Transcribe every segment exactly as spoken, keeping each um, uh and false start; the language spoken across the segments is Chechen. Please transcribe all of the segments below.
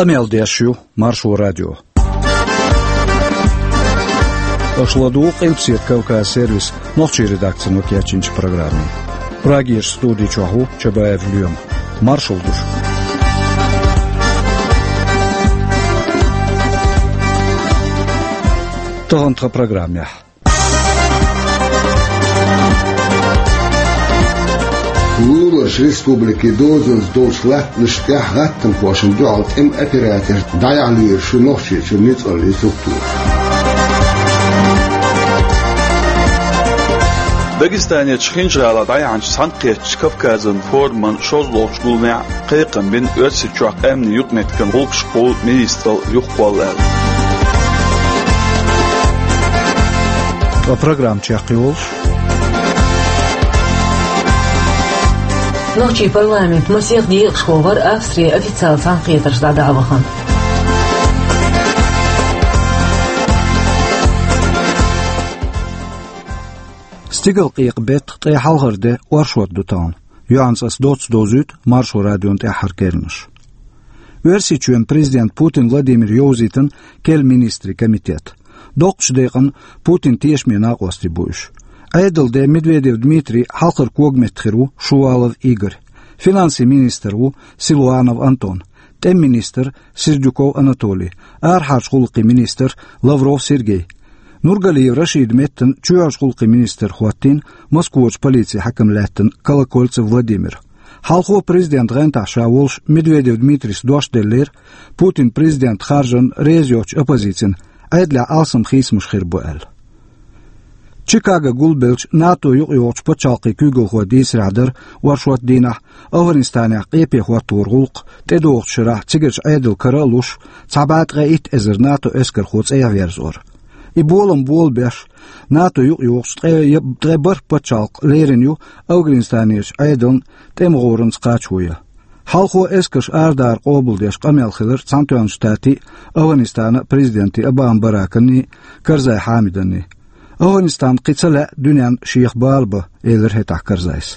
Къамел деш ю Маршо радио. Аша ладугӀу Къилбаседа Кавказ сервисан нохчийн редакцино кечйинчу программе. Прагерчу студи чохь ву Чабаев Лоьма. Маршалла ду шуьга. Тахана тхан программехь. Луларчу республикин дозанца долчу латтанашна тӀехь гӀаттамхошна дуьхьал тӀеман операторш дӀаяхьа лоьруш ю Нохчийчуьра ницкъаллин структураш. Дагестанерчу Хинжа-ГӀалахь дӀаяьхьначу Цхьаьнакхеттачу Кавказан форуман шозлагӀчу гуламехь кхайкхам бина Оьрсийчохь къаьмнийн юкъаметтиган гӀуллакхашкахула министралла юхакхолла аьлла. Ткъа программа чекхйолуш. Нохчийн парламент масех декъашхо вара Австрин официалан цхьаьнакхетарш дӀадахьа вахана. Стигалкъекъа беттан ткъе хьалхара де оршот ду тахана. Юьхьанца ас доцца довзуьйту Маршо радион тӀаьххьара керланаш. Оьрсийчоьнан президента Путин Владимира йовзийтина керла министрийн комитет. Доккхачу декъана Путинан тешаме накъостий бу уьш. Ӏедалан де Медведев Дмитрий, хьалхара когаметта хир ву Шувалов Игорь. Финансийн министр ву Силуанов Антон. ТӀеман министр Сердюков Анатолий, арахьарчу гӀуллакхийн министр Лавров Сергей. Нургалиев Рашидан меттана чоьхьарчу гӀуллакхийн министр хӀоттийна Москварчу полицин хьаькам лаьттина Колокольцев Владимир. Хьалхо президентан гӀантахь ша волуш Медведев Дмитрийс дош деллера, Путинан президент харжарна реза йоцучу оппозицина Ӏедалехь алсам хийцамаш хир бу аьлла. Чикаго гулбеллачу НАТО юкъайогӀучу пачхьалкхийн куьйгалхой дийцарехь дара оршот дийнахь Афганистанехь къепе хӀоттор гӀуллакх тӀедогӀучу шарахь цигарчу Ӏедалан кара а луш, цхьа бӀе ткъе итт эзар НАТО эскархо цӀа верзор. И болам болабеш, НАТО юкъайогӀучу ткъе, ткъе бархӀ пачхьалкх лерина ю Афганистанерчу Ӏедална тӀеман гӀоранца кхачо ян. Хьалхо эскарш арадахар къобалдеш къамел хилира Цхьаьнатоьхначу Штатийн а, Афганистанан а президентийн Обама Бараканний а, Карзай Хьамиданний а. Афганистан кхин ца лаьа дуьненна шех бала бан, элира хӀетахь Карзайс.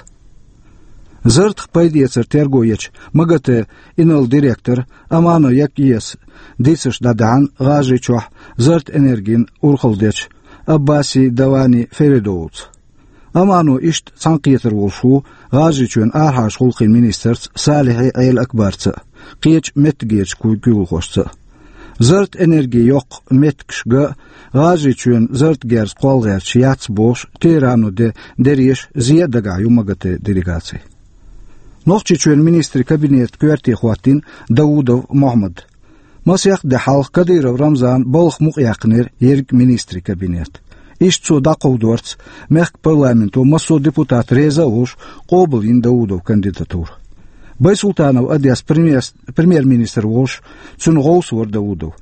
Зартах пайдаэцар терго ечу МАГАТЭ инарла директор Амано Якиевс дийцарш дӀадаьхьна ГӀажарийчохь зарратан энергина урхалла дечу Аббаси Давани Феридовца. Амано иштта цхьаьнакхетар волуш ву ГӀажарийчоьнан арахьарчу гӀуллакхийн министрца Салихьи Ӏела Акбарца а, кхечу меттигерчу куй-, куьйгалхошца а. Зарратан энерги йоккху меттигаш ган а, ГӀажарийчоьнан зарратан герз кхолла гӀерташ яц бохуш, Тегерано де-, дерриш а зен а дагахь ю МАГАТЭ делегаци. Нохчийчоьнан министрийн кабинетан коьрте хӀоттийна Даудов Мохьмад. Масех де хьалха Кадыров Рамзана балха мукъаяьккхинера ерриг министрийн кабинет. Иштта цо дӀакховдорца, мехкан парламенто массо а депутат реза а волуш, къобалйина Даудовн кандидатура. Байсултанов Одес премьер-, премьер-министр волуш, цуьнан гӀовс вара Даудов.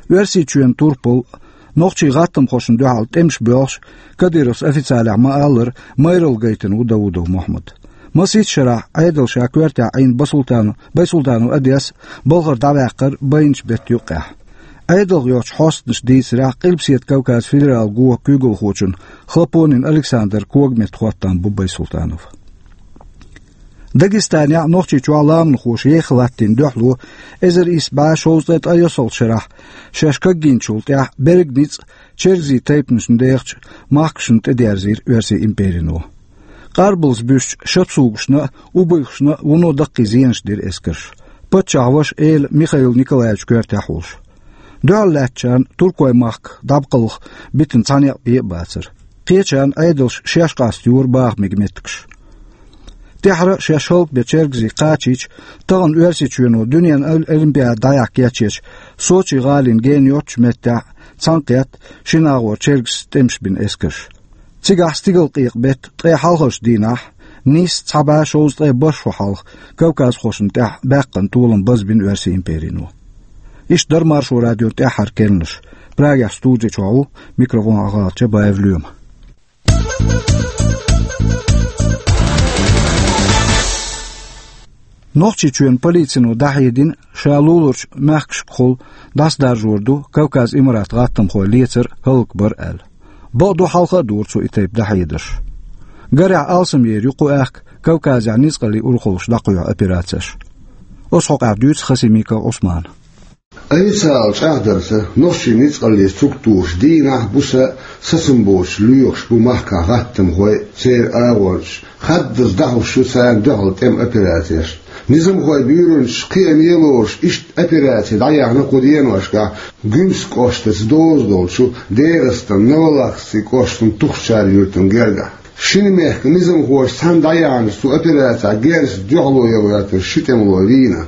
Оьрсийчоьнан турпал, нохчийн гӀаттамхошна дуьхьал тӀемаш боьлхуш, Кадыровс официалехь ма-аллара, майралла гайтина ву Даудов Мохьмад. Масийтта шарахь Ӏедал ша коьртехь Ӏийна Басултанов, Байсултанов Одес балхара дӀаваьккхира байначу беттан юккъехь. Ӏедалх йоцчу хьостанаша дийцарехь, Къилбаседа Кавказан федералан гон куьйгалхочун Хлопонин Александран когаметта хӀоттам бу Байсултанов. Дагестанехь а, Нохчийчохь а ламанхоша еха латтийна дуьхьало эзар исс бӀе шовзткъе ткъайоьсналгӀачу шарахь шаьш кагйинчул тӀаьхьа берриг ницкъ чергазийн тайпанашна дехачу махкашна тӀедерзийра Оьрсийн империно. Къарбалца буьсучу шапсугашна а, убыхашна а вуно даккхий зенаш дира эскарша. Паччахьан ваша эла Михаил Николаевичан коьртехь а волуш. Дуьхьал лаьттачарна туркойн махках дӀабаккхалха битина цхьа некъ бен а бацара. Кхечарна Ӏедалша шаьш къастайора баха мега меттигаш. ТӀаьхьара шаьш хӀаллакбен чергазий кхачийча, тахана Оьрсийчоьно дуьненан ол-, олимпиада дӀаяхьа кечъечу Сочи гӀалин гена йоцчу меттехь цхьаьнакхетта шина агӀор чергазийн тӀемаш бина эскарш. Цигахь стигалкъекъа беттан ткъе хьалхарчу дийнахь, нийсса цхьа бӀе шовзткъе бархӀ шо хьалха, кавказхошна тӀехь баьккхина толам базбина Оьрсийн империно. Иштта дара Маршо радион тӀаьххьара керланаш. Прагехь студи чохь ву, микрофон хьалха Чабаев Лоьма. Нохчийчоьнан полицино дӀахьедина, ша луларчу мехкашкахула дӀасадаржор ду Кавказан Имаратан гӀаттамхой лецар, хӀаллакбар аьлла. Бакъду, хьалха а дора цо и тайпа дӀахьедарш. Гарехь, алсамъер ю кху аьхка Кавказехь ницкъаллин урхаллаш дӀакхоьхьу операцеш. Оцу хьокъехь дуьйцу Хасимиков Ӏусмана. Официалан чӀагӀдарца, нохчийн ницкъаллин структураша дийнахь а, буса а сацам боцуш лоьхуш бу махкахь гӀаттамхой а, церан агӀончаш а, хаддаза дӀахьош ю царна дуьхьал тӀеман операцеш. Низамхойн буьйранчаш кхиаме лоруш иштта операци дӀаяьхьна кху деношкахь Гуьмсан кӀоштаца доза долчу ДегӀастанан Новолаховский кӀоштан Тухчар-Юьртана гергахь. Шина мехкан низамхоша цхьаьна дӀаяьхьначу цу операцехь герзаца дуьхьало ян гӀоьртина ши тӀемало вийна.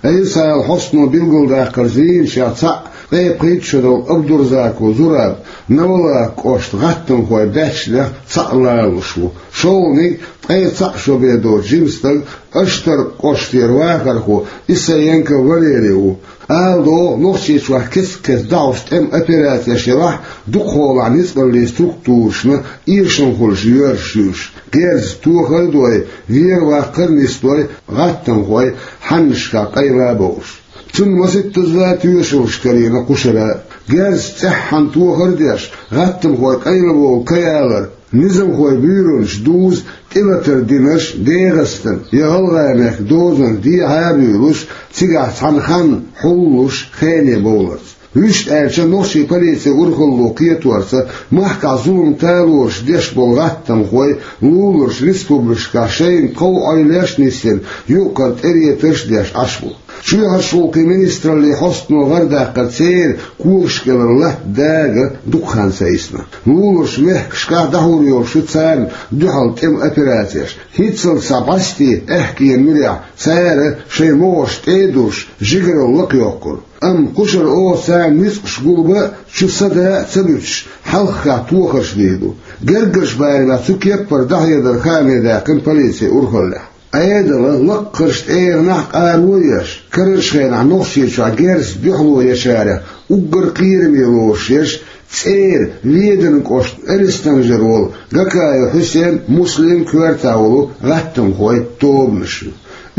Официалан хьостано билгалдаккхарца, вийначех цхьаъ ткъе пхийтта шо долу Абдурзаков Зураб Новолаховский кӀоштан гӀаттамхойн баьччанех цхьаъ лоруш ву. ШолгӀаниг ткъе цхьаъ шо бен доцу жима стаг Аштаркан кӀоштера вахархо Исаенко Валерий ву. Ала догӀу, Нохчийчохь кест-кеста дӀахьош тӀеман операцеш ялахь, дукхахьолахь ницкъаллин структурашна эшам хуьлуш йоьрзуш ю уьш, герзаца тохар а дой, вер-ваккхар а нисдой, гӀаттамхой хьаннашкахь къайла а бовлуш. Цунна масийттаза тоьшаллаш карийна кху шарахь. Герзаца цӀеххьана тохар а деш, гӀаттамхой къайлабовла ка ялар, низамхойн буьйранчаша дуза тӀелатар динарш ДегӀастанан я ГӀалгӀай мехкан дозанах дехьа а буьйлуш, цигахь цхьана ханна хьуллуш, хене бовларца. Вуьшта аьлча, нохчийн полицин урхалло кхеторца, махкахь зулам талораш деш болу гӀаттамхой луларчу республикашкахь шайна тхов Ӏойллеш а нисдина, юкъара тӀеретарш а деш Ӏаш бу. Чоьхьарчу гӀуллакхийн министраллин хьостано гӀардаккхарца, церан когаш кӀелара латта дага дукха хан ца йисна. Луларчу мехкашкахь дӀахьур йолуш ю царна дуьхьал тӀеман операцеш. ХӀинццалц схьа бӀаьсте аьхкенан муьрехь цара шайн могӀарш тӀе а дуьсуш, жигаралла лакхайоккхура. Амма кху шарахь оха царна ницкъаш гулбан а, чу садан а ца буьтуш, хьалххе тохарш дийр ду. Гергарчу барамехь цу кеппара дӀахьедар хааме даьккхина полицин урхаллехь. Ӏедалан лакхарчу тӀегӀанехь а къаро а еш, карарчу хенахь Нохчийчохь герзаца дуьхьало ечарех уггар кхераме лоруш ерш ЦӀера Веданан кӀоштан Элистанжара волу Гакаев Хьусен, Муслим коьртехь волу гӀаттамхой тобанаш ю.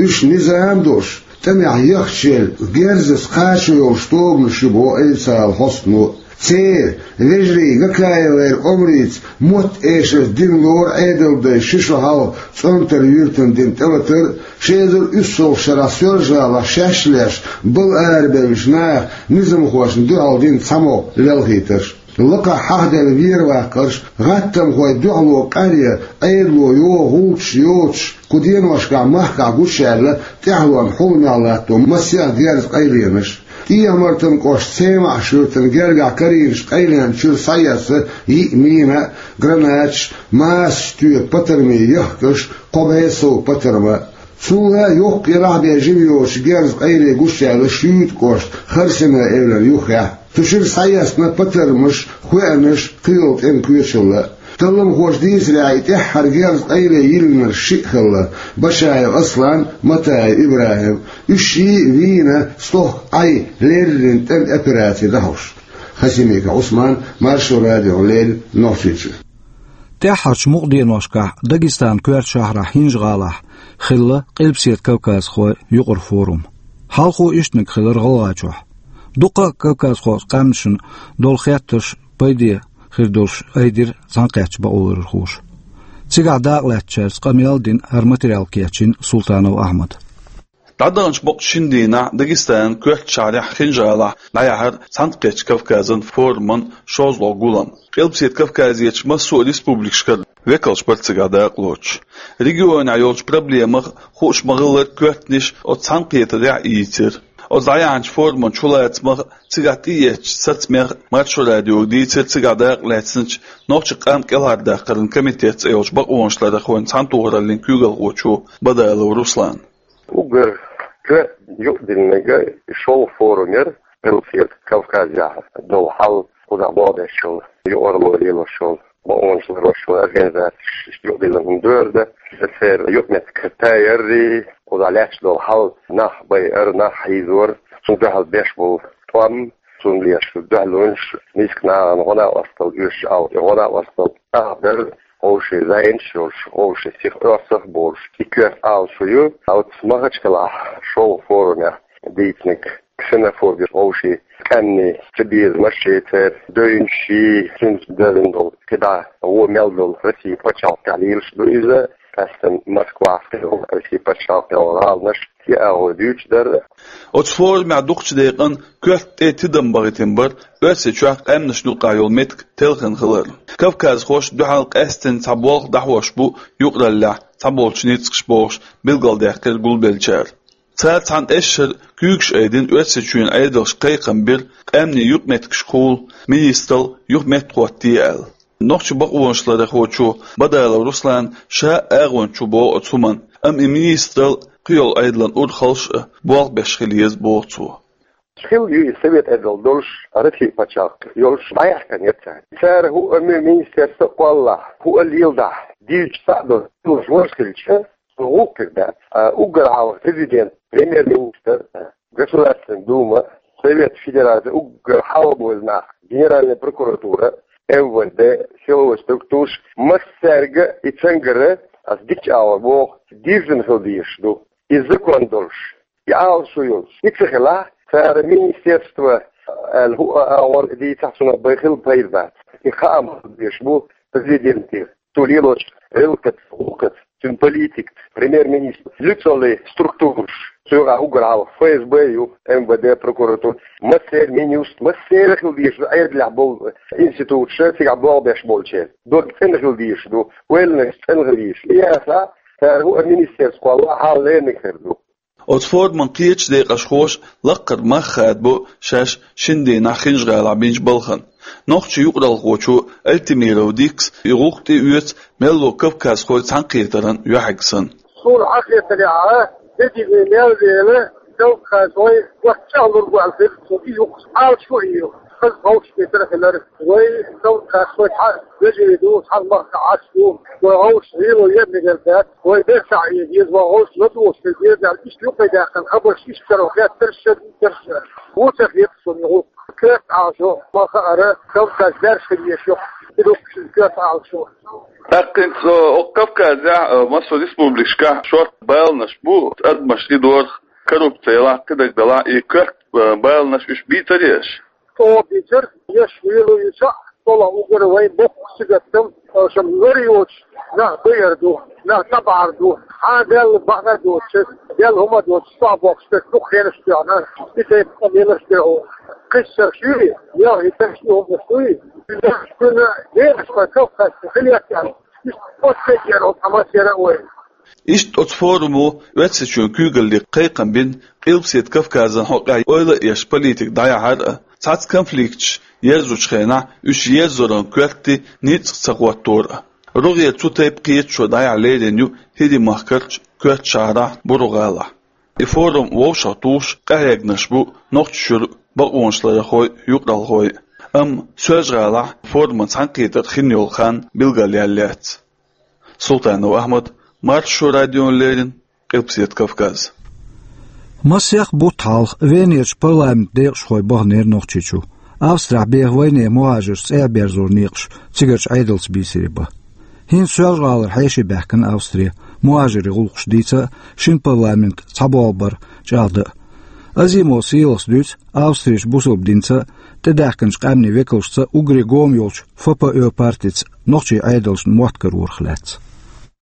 Уьш низам а долуш, тӀамехь яхча елла, герзаца кхачо йолуш тобанаш ю боху официалан хьостано. Церан, вежарий Гакаевгара омрица, мотт-эшарца дина лору Ӏедалан дайша ши шо хьалха ЦӀонтар-Юьртана дина тӀелатар а, ши эзар уьссалгӀачу шарахь Соьлжа-ГӀалахь шаьш а леш, бала арабевллачу наха низамхошна дуьхьал дина цхьамогӀа лелхийтарш. Лакхахь хьахаделла вер-ваккхарш, гӀаттамхойн дуьхьало къаръян Ӏедало йогӀу гӀуллакхаш йоцуш, кху деношкахь махкахь гучуяьлла тӀаьхьалонна хьулмехь латто масех герзан къайленаш. ТӀехьа-Мартанан кӀоштан Семааш-Юьртана гергахь карийначу къайленан чуьра схьаэцна йиъ мина а, гранаташ а, масанчу тоьпан патармийн яхкаш а, кхо бӀе сов патарма а. Цул а йоккха елахь бен жима йоцучу герзан къайле гучуяьлла Шуьйта кӀоштан Харсина эвлара юххехь. Цу чуьра схьаэцна патармаш а, хоьанаш а, кхин йолу тӀеман коьчалла а. Талламхоша дийцарехь, и тӀаьххьара герзан къайле йиллинарш шиъ хилла: Башаев Аслан, Матаев ИбрахӀим. Уьш шиъ а вийна, стохка Ӏай леррина тӀеман операци дӀахьош. Хасимиков Ӏусман, Маршо радиона леррина, Нохчийчуьра. ТӀаьххьарчу мукъа деношкахь Дагестанан коьртачу шахьарахь ХӀинжа-ГӀалахь хилла Къилбаседа Кавказхойн юкъара форум. Хьалхо ишттаниг хилира ГӀалгӀайчохь. Дуккха а кавказхойн къаьмнашна долу хеттарш пайде хир долуш айдира цхьаьнакхеттачу бакъоларъярхоша. Цигахь дакъалаьцначаьрца къамел а дина, хӀара материал кечйина Султанов Ахьмада. ДӀадаханчу боккъачу шина дийнахь Дагестанан коьртачу шахьарехь ХӀинжа-ГӀалахь дӀаяьхьира Цхьаьнакхеттачу Кавказан форуман шозлагӀа гулам. Къилбаседа Кавказерчу массо а республикашкара векалш бара цигахь дакъалоцуш. Регионехь йолчу проблемах, хууш ма-хиллара, коьртаниш оцу цхьаьнакхетарехь а йийцира. Оцу дӀаяьхьначу форуман чулацамах а, цигахь тӀеэцначу сацамех а Маршо радиога дийцира цигахь дакъалаьцначу Нохчийн къам кӀелхьардаккхаран комитет цӀе йолчу бакъонашларъярхойн цхьаьнатохараллин куьйгалхочо Бадалов Руслана. Уггар коьртана юкъадиллинарг шолгӀа форум яра, Къилбаседа Кавказехь долу хьал, кхузахь бакъдеш йолу, юкъаралла лелош йолу, бакъонаш ларош йолу организацеш юкъадиллина хӀума дара. Церан юкъаметтиг тайаррий, кхузахь лаьтташ долу хьал, нах байар, нах хьийзор, цунна дуьхьал беш болу тӀом, цунна беш дуьхьалонаш, миска нахана гӀо-накъосталла оьшуш ала, и гӀо-накъосталла тӀехь дара, вовшийн зӀенаш йолуш, вовшийн сиха оьрсах а болуш, и коьрта ала шу ю. Оцу Махачкалахь шолгӀа форумехь дийцинарг ксенофобия, вовшийн къаьмнийн цабезамаш, церан девнаш, цуьнца девзина долу кхидӀа вон мел долу Россин пачхьалкхехь лелаш ду иза. Къаьстина Москвахь хилла Россия пачхьалкхе йолу гӀаланаш, и агӀо дуьйцуш дара. Оцу форумехь дукхачу декъана коьрта тӀе тидам бахийтина бара Оьрсийчохь къаьмнашна юкъахь йолу меттиг телхина хилар. Кавказхоша дуьхьал къаьстина цхьа болх дӀахьош бу юкъараллехь цхьаболчу ницкъаша бохуш билгалдаьккхира гулбеллачара. Цара цхьана эшшара куьйгаш айдина Оьрсийчоьнан Ӏедалша кхайкхам бира къаьмнийн юкъаметтигашкахула министралла юха меттахӀоттае аьлла. Нохчийн бакъонашларъярхочо Бадалов Руслана ша агӀонча ву боху оцу хӀуманна, амма и министралла кхин йолу Ӏедалан урхаллаш а болх беш хила еза боху цо. Хилла ю и Совет Ӏедал долуш, Россия пачхьалкх йолуш дӀаяьхкина яра цара. Цара хӀуъа ми-, министерство а кхоллахь, хӀуъа леладахь, дийцича схьа а долуш, хилла ваш хилча, со гӀуллакх хир дац. А уггар хьалха президент, премьер-министр, Государственная Дума, Совет Федерации, уггар хьалха болу нах, Генеральная прокуратура, МВД, силовой структураш, массаьрга и цуьнгара ас дикачу агӀор боху, дирзина хила дезаш ду. И закон долуш, и Ӏалашо йолуш, и ца хилахь, цара министерство аьлла хӀуъа агӀор дийцахь, цунах бай хила пайда бац. И хаам хила дезаш бу президенте, цо лелочу гӀиллакхаца, гӀуллакхаца, цуьнан политикаца, премьер-министр, лицолай структураш, цуьнгахь уггар хьалха ФСБ ю, МВД, прокуратура, массеран, Минюст, массеран хила дезаш ду, Ӏедалехь болу институташ, цигахь болх беш болчеран. Дог цӀена хила дезаш ду, ойланаш цӀена хила дезаш. И яцахь, цара хӀуъа министерство кхоллахь, хьал лерниг хир ду. Оцу форуман кхечу декъашхоша лаккхара мах хадабо шаьш шина дийнахь Хинжа-ГӀалахь бинчу балхана. Нохчийн юкъаралхочо Альтимиров Дикас и гӀуллакх тӀеоьцу мелло кавказхойн цхьаьнакхетаран юьхьиг санна. Суна хьахетарехь, дедиге мел вела, кавказхой вац чӀагӀлур бу аьлла хир, цо и юкъа Ӏалашо а йо. Хаза гӀовшах битар хилар. Вай кавказхой цхьа вежарий ду, цхьана махкахь Ӏаш ду. Вай гӀовшах гӀело ен мегар дац. Вай берсахь а деза, вай гӀовшах ладугӀуш хила деза аьлла, иштта юкъе даьккхина хабарш иштта каро хеттарш, шадийтарш. Ву ца хеташ суна юха. Коьрта Ӏалашо ма хаара, Кавказ баьржа хила езаш ю. И ду-кх шуьга коьрта Ӏалашо. ТӀаккха хӀинца, э, окху Кавказехь, э, массо а республикашкахь шорта баланаш бу, адамаш и дорах, коррупци ялахь, кхидерг далахь, и коьрта, э, баланаш уьш бийцарий аша? ЧӀогӀа бийцира, еш вуьйлу ю цхьаъ, цкъа а уггар вайн боккха сигатдам, аша лар йоцуш нах байар ду, нах тӀебахьар ду, хьан Делла бахьана доцуш, Делла хӀума доцуш, чохь боккхуш дерг дукха хенаш тоьхна, и тайпа къамелаш дерг хӀу. Кхиссарш юй, ял хӀиттарш и хӀуманаш дуй, уьш кхуьнан дераш вай Кавказехь хила яц аьлла, иштта оццу тайпа яра хӀу тхьамас яра а вай. Иштта оцу форумо Оьрсийчоьнан куьйгалле кхайкхам бина Къилбаседа Кавказан хьокъехь ойла а еш политика дӀаяхьар а, цхьацца конфликташ ерзучу хенахь уьш ерзоран коьртий ницкъ ца хӀоттор а. РогӀера цу тайпа кхеташо дӀаяхьа лерина ю ХӀирийн махкарчу Коьртачу-ГӀалахь, Буру-ГӀалахь. И форум вовшахтухуш къахьегнарш бу Нохчийчуьра бакъонашларъярхой, юкъаралхой. Амма Соьлжа-ГӀалахь форуман цхьаьнакхетар хин йолу хан билгалъяьлла яц. Султанов Ахьмад, Маршо радиона леррина, Къилбаседа Кавказ. Масех бутт хьалха Венерчу парламентан декъашхой баханера Нохчийчу. Австрехь беха вайнехан мухӀажарш цӀа а берзоран некъаш цигарчу Ӏедалца бийцаре бан. ХӀинца Соьлжа-ГӀалара хьеший баьхкина Австре, мухӀажарийн гӀуллакхаш дийца а, шина парламент цхьаболх бар чӀагӀдан а. Азимов Сийлахьс дуьйцу Австрерчу бусалба динца а, тӀедаьхкинчу къаьмнийн векалшца а уггаре гома йолчу ФПО партица нохчийн Ӏедалшна мотт карорах лаьцна.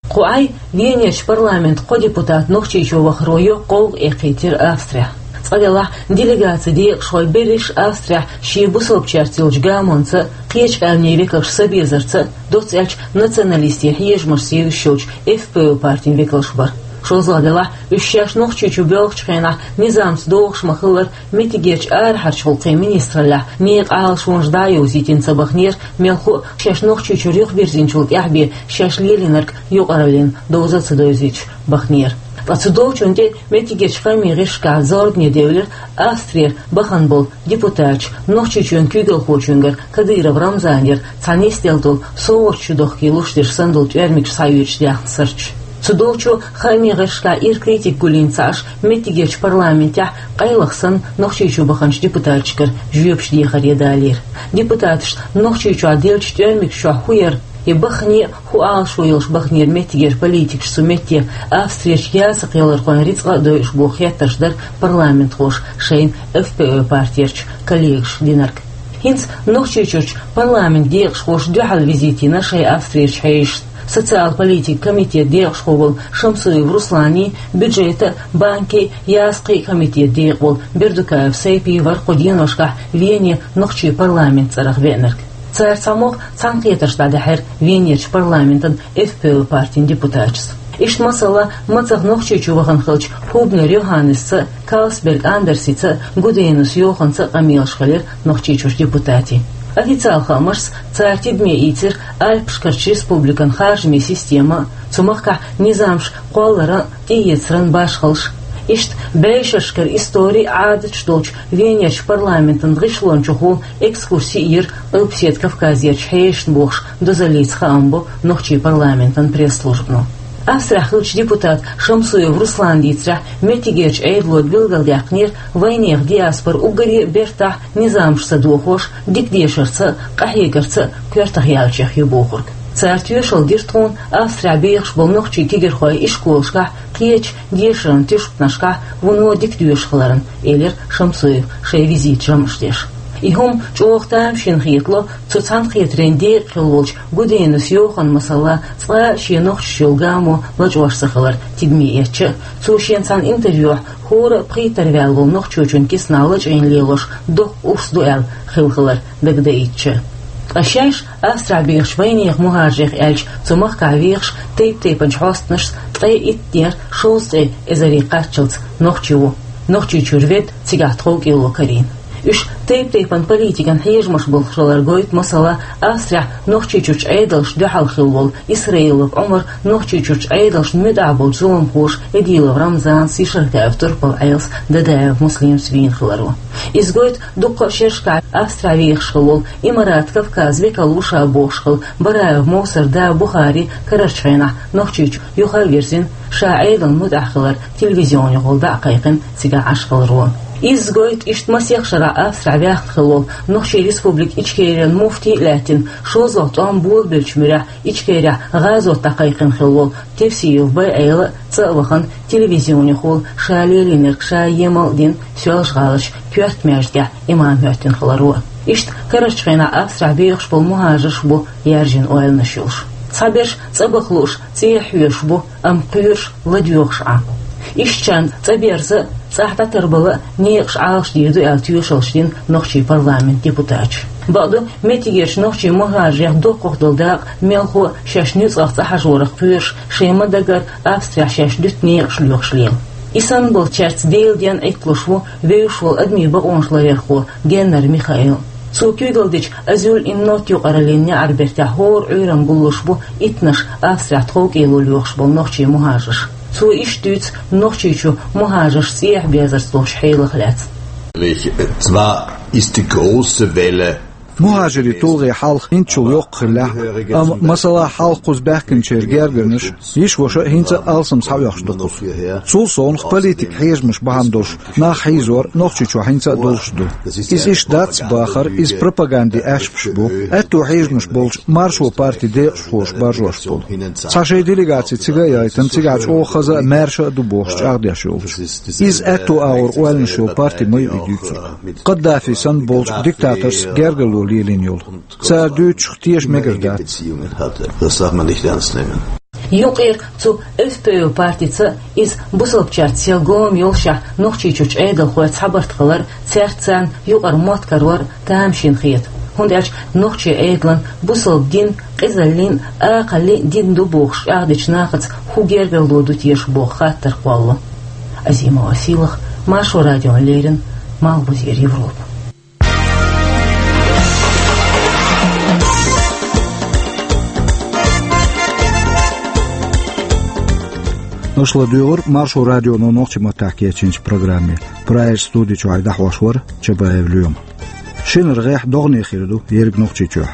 Кху Ӏай Венерчу парламентан кхо депутат Нохчийчу вахаро йоккха гӀовгӀа эккхийтира Австрехь. Цкъа делахь, делегацин декъашхой берриш Австрехь шен бусалбачаьрца йолчу гамонца а, кхечу къаьмнийн векалш ца безарца а, доцца аьлча националистийн хьежамашца евзаш йолчу ФПО партин векалш бара. ШолгӀа делахь, уьш шаьш Нохчийчу боьлхучу хенахь низамца догӀуш ма-хиллара, меттигерчу арахьарчу гӀуллакхийн министраллехь некъан Ӏалашонаш дӀа а йовзийтина ца баханера, мелхо а шаьш Нохчийчуьра юхабирзинчул тӀаьхьа бен шаьш лелийнарг юкъараллин довза а ца довзуьйтуш баханера. Ткъа цу долчунна тӀе меттигерчу хаамийн гӀирсашкахь зорбане девлира Австрера бахана болу депутаташ Нохчийчоьнан куьйгалхочуьнгара Кадыров Рамзанера цхьа нисделла долу совгӀаташ чудохкий луш дерш санна долу тӀоьрмигаш схьаоьцуш даьхна сурташ. Цу долчо хаамийн гӀирсашкахь ира критика гулйина ца Ӏаш, меттигерчу парламентехь къайлаха санна Нохчийчу баханчу депутаташкара жоьпаш дехаре далийра. Депутаташна Нохчийчохь деллачу тӀоьрмигаш чохь хӀун яра, я бахане а хӀун Ӏалашо йолуш баханера меттигерчу политикаша цу метте, Австрерчу ясакхъялархойн рицкъа а дойуш боху хеттарш дара парламентхоша шайн ФПО партерчу коллегашна динарг. ХӀинца Нохчийчуьрчу парламентан декъашхоша дуьхьал визит йина шайн Австрерчу хьешашна. Социал-политика комитет декъашхо волу Шамсуев Руслани, бюджета, банки, ясхъи комитет декъа волу Бердукаев Сайпи вара кху деношкахь Вене нохчийн парламент цӀарах веанарг. Цара цхьа могӀа цхьаьнакхетарш дӀадаьхьира Венерчу парламентан F P Ö партин депутаташца. Иштта, масала, мацах Нохчийчу вахана хилча Хубнер Йоханнесца, Калсберг Андерсица, Гуденус Йоханца къамелаш хилира Нохчийчуьрчу депутатийн. Официал хаамашца, цара тидаме ийцира Альпашкарчу республикан харжамийн система, цу махкахь низамаш кхолларан, тӀеэцаран башхаллаш. Иштта бӀешерашкара истори а, Ӏадаташ долчу Венерчу парламентан гӀишлончухула экскурси йира Къилбаседа Кавказерчу хьешашна бохуш дозаллица хаам бо нохчийн парламентан пресс-службано. Австрехь хиллачу депутата Шамсуев Руслана дийцарехь, меттигерчу Ӏедало билгалдаьккхинера вайнехан диаспора уггаре а бертахь, низамаш ца дохош, дика дешарца а, къахьегарца а коьртах яьллачех ю бохург. Цара тоьшалла дира тхуна Австрехь бехаш болу нохчийн кегийрхойн ишколашкахь, кхечу дешаран тешнабехкашкахь вуно дика доьшуш хиларна, элира Шамсуева шайн визитан жамӀаш деш. И хӀума чӀогӀа тамашийна хетало, цу цхьаьнакхетарийн декъа хилла волчу Гуденус Йоханна, масала, цкъа а шен нохчашца йолу гамо лачкъош ца хилар тидаме эцча а. Цо шена цхьана интервьюхь хӀора а пхийттара ваьлла волу нохчочун кисанахь лачкъийна лелош доккха урс ду аьлла хилла хилар дагадаийтича. Ткъа шаьш Австрехь бехачу вайнехан мухӀажарех аьлча, цу махкахь вехаш тайп-тайпанчу хьостанашца ткъе иттанера шовзткъе эзаре кхаччалц нохчи ву, Нохчийчуьра ведда, цигахь тховкӀело карийна. Уьш тайп-тайпана политикан хьежамаш болуш хилар гойту, масала, Австрехь Нохчийчуьрчу Ӏедалшна дуьхьал хилла волу Исраилов Ӏумар Нохчийчуьрчу Ӏедалшна муьтӀахь болчу зуламхоша Эдилов Рамзанца, Ешартаев Турпал-Ӏелас, Дадаев Муслимца вийна хиларо. Иза гойту дуккха а шерашкахь Австрехь вехаш хилла волу Имарат Кавказ векал ву ша бохуш хилла Бараев Мовсар да Бухари карарчу хенахь Нохчийчу юха а вирзина, ша Ӏедална муьтӀахь хилар телевизионехула дӀа а кхайкхина, цигахь Ӏаш хиларо. Иза гойту иштта масех шарахь Австрехь ваьхна хилла волу Нохчийн Республика Ичкерин муфти а лаьттина, шозлагӀа тӀом болабеллачу муьрехь Ичкерехь гӀазот дӀакхайкхина хилла волу Тевсиев Байъела а цӀа а вахана, телевизионехула ша лелийнарг ша емал а дина, Соьлжа-ГӀаларчу коьрта маьждигехь имам хӀоьттина хиларо. Иштта карарчу хенахь Австрехь бехаш болу мухӀажарш бу яьржина ойланаш йолуш. Цхьаберш цӀа баха лууш, цӀехьа хьоьжуш бу, амма кхоьруш ладоьгӀуш Ӏа. Ишттачарна цӀа берза а, цӀахь дӀатарбала а некъаш Ӏалашдийр ду аьлла тоьшаллаш дина нохчийн парламентан депутаташа. Бакъду, меттигерчу нохчийн мухӀажарех доккхах долу дакъа мелхо а шаьш нуьцкъах цӀа хьажорах кхоьруш, шайн ма-даггара Австрехь шаьш дуьту некъаш лоьхуш лела. И санна болчаьрца Делан денна Ӏитталуш ву вевзаш волу адамийн бакъонаш ларъярхо Геннер Михаил. Цо куьйгалла дечу «Азюль ин нот» юкъараллин неӀарбертехь хӀора Ӏуьйранна гуллуш бу иттанаш Австрехь тховкӀело лоьхуш болу нохчийн мухӀажарш. Цо иштта дуьйцу Нохчийчу мухӀажарш цӀехьа безарца долчу хьелах лаьцна. Zwar ist die große Welle МухӀажарийн тулгӀе хьалха хӀинцачул йоккха хиллехь а, амма, масала, хьалха кхуза баьхкинчеран гергарнаш, йиша-ваша а хӀинца а алсам схьаоьхуш ду кхуза. Цул совнаха политикан хьежамаш бахьана долуш нах хьийзор Нохчийчохь хӀинца а долуш ду. Иза иштта дац бахар, иза пропагандин аьшпаш бу. Аьтту хьежамаш болчу Маршо партин декъашхоша баржош болу. Цхьа шайн делегаци цига а яйтина, цигахь чӀогӀа хаза а, маьрша а ду бохуш чӀагӀдеш йолчу. Иза аьтту агӀор ойланаш йолу парти ма ю и дуьйцург. Каддафи санна болчу диктаторшца гергарло лелийна йолу. Цара дуьйцучух теша мегар дац. Юкъера цу F P Ö партица, иза бусалбачаьрца сел гома йолушехь, Нохчийчуьрчу Ӏедалхой цхьабарт хилар, цаьрца царна юкъара мотт карор тамашийна хета. ХӀунда аьлча нохчийн Ӏедалан бусалба дин къизаллин а, акхаллин а дин ду бохуш чӀагӀдечу нахаца хӀун гергарло ду теша боху хаттар кхоллало. Азимова Сийлаха, Маршо радиона леррина, Малхбузера Европа. Аша ладуьйгӀура Маршо радионо нохчийн маттахь кечйинчу программе. Прагерчу студи чуьра дӀахьош вара Чабаев Лоьма. Шинара гӀеххьа догӀане хир ду ерриг Нохчийчохь.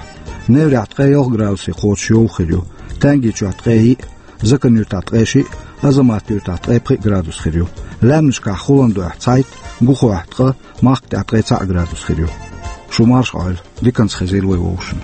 Неврехь ткъе ялх градусе кхочуш йовха хир ю, Тангийчохь ткъе йиъ, Закан-Юьртахь ткъе шиъ, Азамат-Юьртахь ткъе пхиъ градус хир ю. Лаьмнашкахь хӀуллан дуьхьа цхьайтта, Гухохь ткъа, Махкатехь ткъе цхьаъ градус хир ю. Шу марша Ӏойла, диканца хезийла вай вовшашна.